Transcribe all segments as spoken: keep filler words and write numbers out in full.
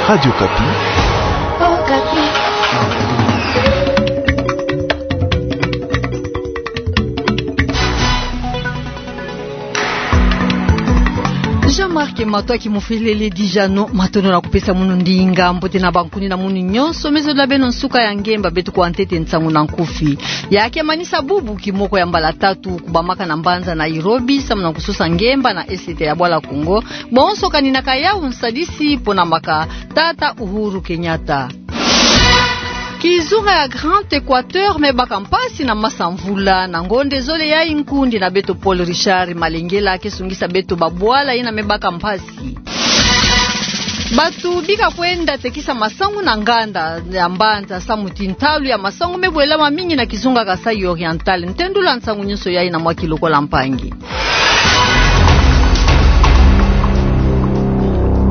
Radio Okapi. Jean-Marc Matoa Kimufelele Dijano, matondo na kupesa munu ndinga, mbote na bankuni na munu nyonso me zolila beno nsuka ya ngemba beto kuwa ntete nsangu na nkufi. Ya ke manisa bubu kimoko ya mbala tatu kubamaka na mbanza Nairobi, samu na kusosa ngemba na esete ya bwala Kongo, bonso kaninaka yawu nsadisi mpo na maka tata Uhuru Kenyatta. Kizunga ya Grand Equateur me baka mpasi na masa mvula, na ngonde zole yayi nkundi na beto Paul Richard Malengela ke sungisa beto babwala yina me baka mpasi. Bato bika kwenda tekisa masangu na nganda ya mbanza samu ti ntalu ya masangu me bwelama mingi na kizunga Kasaï Oriental. Ntendula nsangu nyonso yayi na mwa ki lokola mpangi.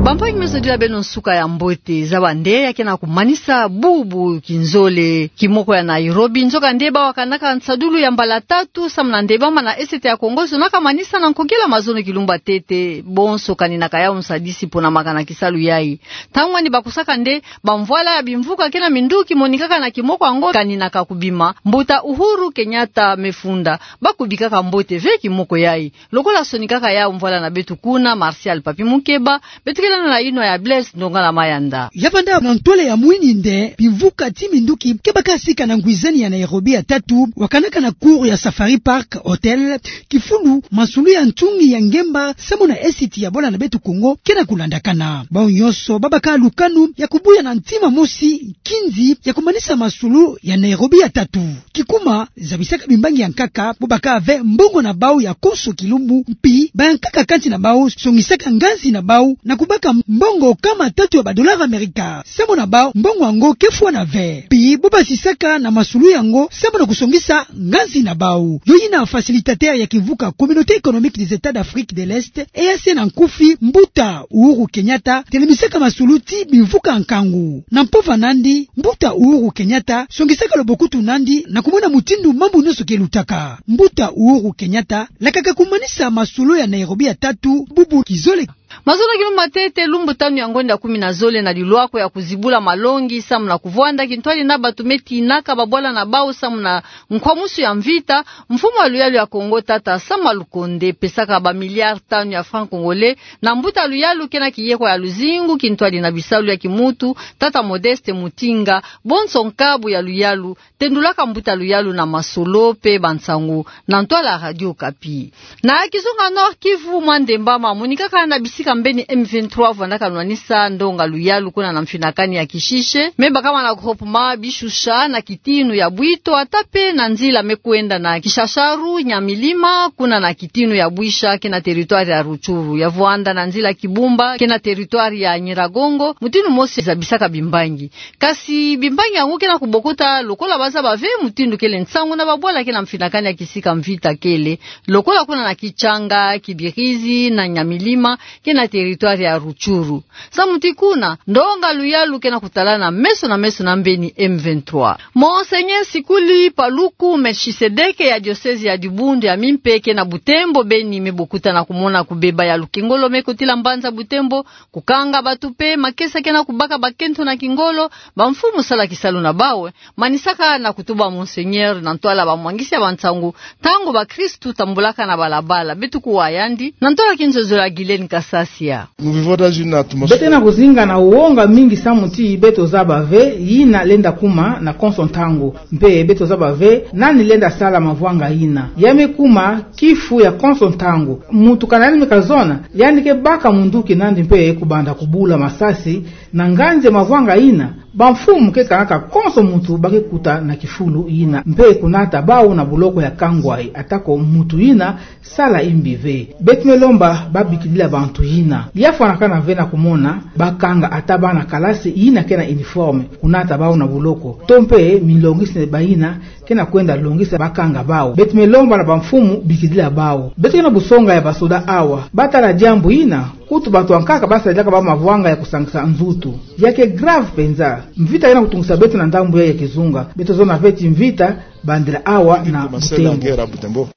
Bampangi me zodila beno nsuka ya mbote. Zaba nde ya ke na kumanisa bubu kinzole kimoko ya Nairobi. Nzokande bawu wakanaka nsadulu ya mbala tatu samu na nde bama na esete ya Kongo, zonaka manisa na nkokila mazono kilumbu ya ntete, bonso kaninaka yawu nsadisi mpo na maka na kisalu yayi. Ntangu wani bakusaka nde bamvwala ya bimvuka ke na minduki monikaka na kimoko yango kaninaka kubima, mbuta Uhuru Kenyatta me funda. Bakubikaka mbote ve kimoko yayi. Lokola sonikaka yawu mvwala na beto kuna, Martial Papi Mukeba, beto kele na inwa ya Blaise Ndongala Mayanda. Ya vanda na ntwala ya mwini nde bimvuka ti minduki ke baka sika na ngwizani ya Nairobi ya tatu, wakanaka na cour ya Safari Park Hotel, kifulu masulu ya ntungi ya ngemba samu na esiti ya bwala na beto Kongo ke na kulandakana. Bawu nyonso babaka lukanu ya kubuya na ntima mosi nkinzi ya kumanisa masulu ya Nairobi ya tatu. Kikuma zabisaka bimbangi ya nkaka bo baka ve mbongo na bawu ya konso kilumbu, mpi bayankaka kansi na bawu songisaka nganzi na bawu na kubaka mbongo kama tatu ya badollars Amerika. Samu na bawu mbongo yango ke fwana ve. Mpi bo basisaka na masulu yango samu na kusongisa nganzi na bawu. Yo yina facilitateur ya kimvuka Communauté économique des États d'Afrique de l'Est, E A C na nkufi, mbuta Uhuru Kenyatta, telemisaka masulu ti bimvuka nkangu. Na mpova nandi, mbuta Uhuru Kenyatta songisaka lobokutu nandi na kumona mutindu mambu nyonso ke lutaka. Mbuta Uhuru Kenyatta lakaka kumanisa masulu ya Nairobi ya tatu bubu kizole. Mazono kilumbu ya ntete, lumbu tanu ya ngonda kumi na zole na lilwako ya kuzibula malongi samu na kuvwanda kintwadi na bato me tinaka babwala na bawu samu na nkwamusu ya mvita, mfumu ya luyalu ya Kongo, tata Sama Lukonde, pesaka ba milliards tanu ya francs congolais na mbuta luyalu ke na kiyeko ya luzingu kintwadi na bisalu ya kimuntu, tata Modeste Mutinga, bonso nkabu ya luyalu, tendulaka mbuta luyalu na masolo mpe bansangu na ntwala Radio Okapi. Na kizunga Nord-Kivu, mwa ndemba mamonikaka na bisika mbeni M vingt-trois vwandaka nwanisa ndonga luyalu kuna na mfinakani ya Kishishe, me bakama na groupement Bishusha na kitinu ya Bwito, ata mpe na nzila me kwenda na Kishasharu, Nyamilima, kuna na kitinu ya Bwisha, ke na territoire ya Rutshuru, ya vwanda na nzila Kibumba, ke na territoire ya Nyiragongo, mutindu mosi zabisaka bimbangi. Kasi bimbangi yango ke na kubokota lokola bazaba ve mutindu kele nsangu na babwala ke na mfinakani ya kisika mvita kele, lokola kuna na Kitshanga, Kibirizi na Nyamilima, ke na territoire ya Rutshuru. Samu ti kuna ndonga luyalu ke na kutalana meso na meso na mbeni M vingt-trois. Monseigneur Sikuli Paluku Melchisedeke ya diocèse ya Dibundu ya Mimpe ke na Butembo, beni me bokutana kumona kubeba ya lukengolo me kotila mbanza Butembo, kukanga bato mpe makesa ke na kubaka bakento na kingolo, bamfumu sala kisalu na bawu, manisaka na kutuba Monseigneur na ntwala bamwangisi ya bansangu, ntangu bakristu tambulaka na balabala. Beto kuwa yandi na ntwala kinzonzolo ya Guylaine Kasasia. Nous vivons dans une atmosphère. Beto ke na kuzinga na wonga mingi samu ti beto zaba ve yina lenda kuma na konso ntangu. Mpe beto zaba ve nani lenda sala mavwanga yina. Ya me kuma kifu ya konso ntangu. Muntu kana yandi me kazona, yandi ke baka munduki nandi mpe kubanda kubula masasi na nganzi ya mavwanga yina. Bamfumu ke kangaka konso muntu ba ke kuta na kifulu yina, mpe kunata bawu na boloko ya kangwayi, atako muntu yina sala imbi ve. Beto me lomba babikidila bantu yina. Ya fwanakana ve na kumona bakanga ata bana kalasi yina ke na uniforme, kunata bawu na boloko, to mpe milongisi bayina ke na kwenda longisa bakanga bawu. Beto me lomba na bamfumu bikidila bawu. Beto ke na busonga ya basoda awa, batala diambu yina. Kutu bato ya nkaka basadilaka bawu mavwanga ya kusangisa nzutu. Ya ke grave mpenza. Mvita ke na kutungisa beto na ndambu ya, ya kizunga. Beto zona ve ti mvita bandila awa na Butembo.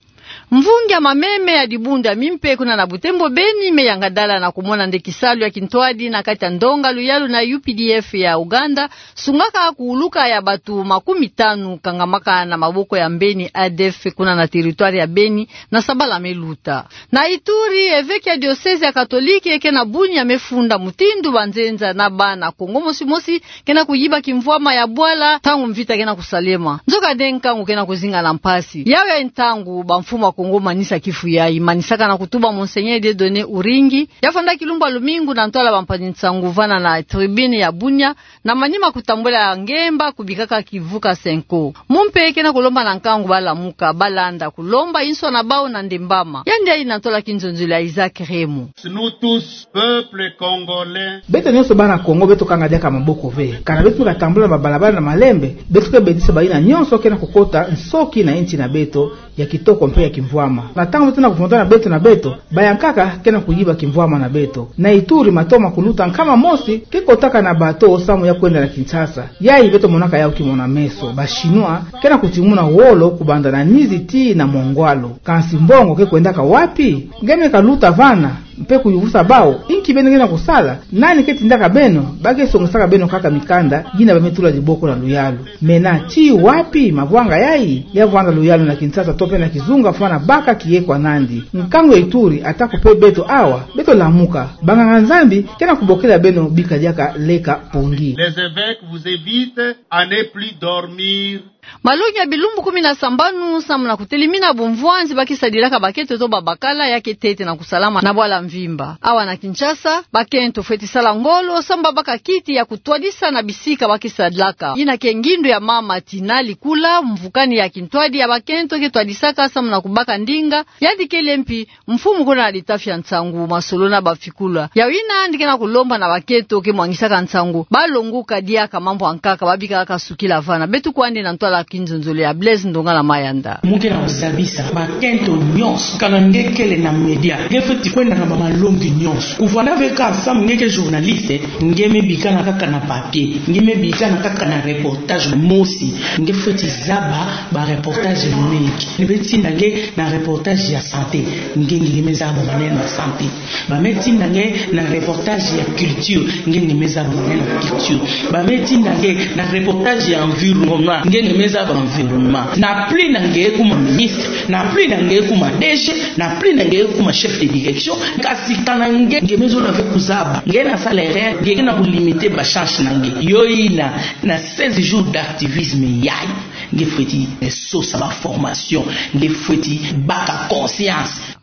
Mvungi ya mameme ya dibundu ya mimpe kuna na Butembo Beni me yangadala na kumona nde kisalu ya kintwadi na kati ya ndonga luyalu na U P D F ya Uganda, sungaka kuuluka ya bato makumi tanu kangamaka na maboko ya mbeni A D F kuna na territoire ya Beni na sabala me luta. Na Ituri, eveke ya diocèse ya Katolike ke na Bunia me funda mutindu banzenza na bana Kongo mosi mosi ke na kuyiba kimvwama ya bwala ntangu mvita ke na kusalema. Nzokande nkangu ke na kuzinga na mpasi. Yawu ya ntangu bamfumu ya Kongo manisa kifu yayi, manisaka na kutuba Monseigneur Dieudonné Uringi, ya fanda kilumbu ya lumingu na ntwala bampangi nsangu vana na tribune ya Bunia, na manima kutambula ngemba kubikaka kivuka senko. Mumpe ke na kulomba na nkangu balamuka, balanda kulomba inso na bawu na ndembama. Yandi yayi na ntwala kinzonzolo ya Isaac Remo. Nous tous, peuple congolais. Beto nyonso bana Kongo, beto kanga diaka maboko ve. Kana beto me katambula na babalabala na malembe, beto ke bedisa bayina nyonso ke na kukota nsoki na insi na beto ya kitoko mpe ya kimvwama. Na ntangu beto na kuvondana beto na beto, bayankaka ke na kuyiba kimvwama na beto. Na Ituri, matomo ya kuluta nkama mosi ke kotaka na bato samu ya kwenda na Kinshasa. Yayi beto monaka yawu kimona-meso. Ba Chinois ke na kutimuna wolo kubanda na Nizi tii na Mongwalu. Kansi mbongo ke kwendaka wapi? Nge me kaluta vana mpe kuyuvusa bawu: Inki beno ke na kusala? Nani ke tindaka beno? Ba ke songisaka beno kaka mikanda yina ba me tula diboko na luyalu. Mena tii wapi mavwanga yayi? Ya vwanda luyalu na Kinshasa to mpe na kizunga, fwana baka kiye kwa nandi. Nkangu ya Ituri, atako mpe beto awa, beto lamuka. Banganga-Nzambi ke na kubokila beno bika diaka leka pongi. Les évêques vous invitent à ne plus dormir. Malongi ya bilumbu kumi na sambanu samu na kutelimina bumvwanzi ba ke sadilaka bakento to babakala ya ke ntete na kusalama na bwala mvimba. Awa na Kinshasa, bakento fweti sala ngolo samu babaka kiti ya kutwadisa na bisika ba ke sadilaka. Yina ke ngindu ya mama Tina Likula, mvukani ya kintwadi ya bakento ke twadisaka samu na kubaka ndinga. Yandi kele mpi mfumu kuna na litafi ya nsangu, masolo na bafikula. Yawu yina yandi ke na kulomba na bakento ke mwangisaka nsangu, balongoka diaka mambu ya nkaka, babika kaka sukila vana. Beto kwandi na ntwala kinzonzolo ya Blaise Ndongala Mayanda. Mu ke na kuzabisa bakento nyonso, kana nge kele na media, nge fweti kwenda na bamalongi nyonso. Kuvanda ve kaka samu nge ke journaliste, nge me bikana kaka na papier, nge me bikana kaka na reportage mosi. Nge fweti zaba ba reportage mingi. Nge fweti tinda nge na reportage ya santé, nge, nge me zaba maneno ya santé. Ba me tinda nge na reportage ya culture, nge, nge me zaba maneno ya culture. Ba me tinda nge na reportage ya environnement, nge, nge me zaba environnement. Na plus na nge kuma ministre, na plus na nge kuma D G, na plus na nge kuma chef de direction, kasi kana nge, nge me zola ve kuzaba. Nge na sala erreur, nge na kulimiter ba chance na nge. Yo yina, na seize jours d'activisme yayi, nge fweti sosa ba formation, nge fweti baka conscience.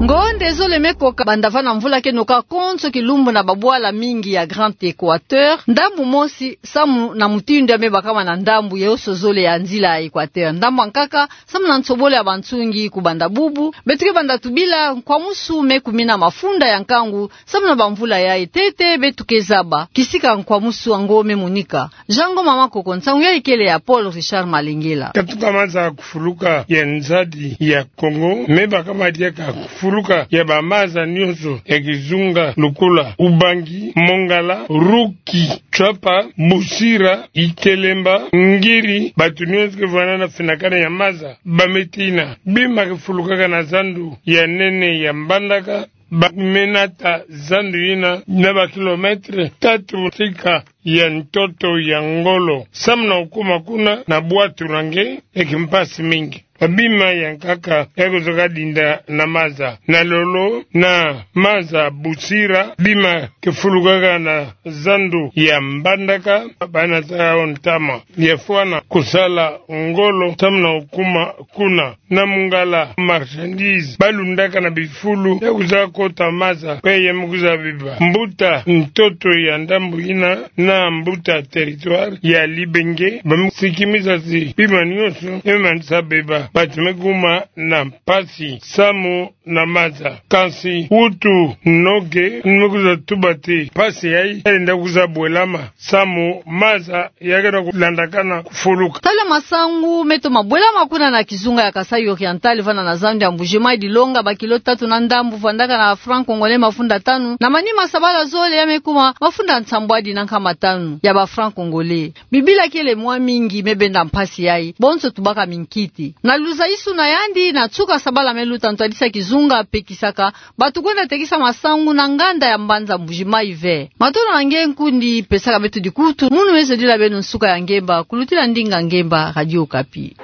Ngonde zole me koka banda vana mvula ke noka konso kilumbu na babwala mingi ya Grand Equateur, ndambu mosi samu na mutindu ya me bakama na ndambu yonso zole ya nzila ya Equateur. Ndambu ya nkaka, samu na nsobolo ya bansungi kubanda bubu, beto ke banda tubila nkwamusu me kumina mafunda ya nkangu, samu na bamvula yayi ntete beto ke zaba kisika nkwamusu yango me monika. Jean Ngoma Makoko, nsangu yayi kele ya Paul Richard Malengela. Katuka maza kufuluka ya nzadi ya Kongo, me bakama diaka kufuluka ya bamaza nyonso ya kizunga lokola Ubangi, Mongala, Ruki, Tswapa, Busira, Ikelemba, Ngiri, bato nyonso ke vwanda na finakana ya maza. Ba me tina bima kifulukaka na zandu ya nene ya Mbandaka, ba me nata zandu yina na ba kilomètre tatu sika ya ntoto ya ngolo. Samu na kukuma kuna na bwatu na nge, eke mpasi mingi. Ba bima ya nkaka ya kuzoka dinda na maza. Na lolo na maza Busira, bima kifulukaka na zandu ya Mbandaka, ba nata yau ntama ya fwana kusala ngolo samu na kukuma kuna. Na Mongala, marchandise ba lundaka na bifulu ya kuza kota maza, pe ya me kuza beba. Mbuta ntoto ya ndambu yina na mbuta territoire ya Libenge, ba me sikimisa zi bima nyonso ya me manisa beba. Bati me kuma na mpasi samu na maza. Kansi kutu noge ni me kwiza tuba ti mpasi yayi yalenda kwiza bwelama samu maza yakena kulandakana kufuluka. Tala masangu me toma bwelama kuna na kizunga ya Kasaï Oriental, vana na zando ya Mbuji-Mayi, dilonga ba kilo tatu na ndambu vwandaka na franc congolais mafunda tanu, na manima sabala zole ya me kuma mafunda nsambwadi na nkama tanu ya ba franc congolais. Bibila kele mwa mingi me benda mpasi yayi, bonso tubaka minkiti. Na luzayisu na yandi, na nsuka sabala me luta ntwadisa kizunga pekisaka bato kwenda tekisa masangu na nganda ya mbanza Mbuji-Mayi ve. Matondo na nge nkundi pesaka beto dikutu, munu me zodila beno nsuka ya ngemba, kulutila ndinga ngemba, Radio Okapi.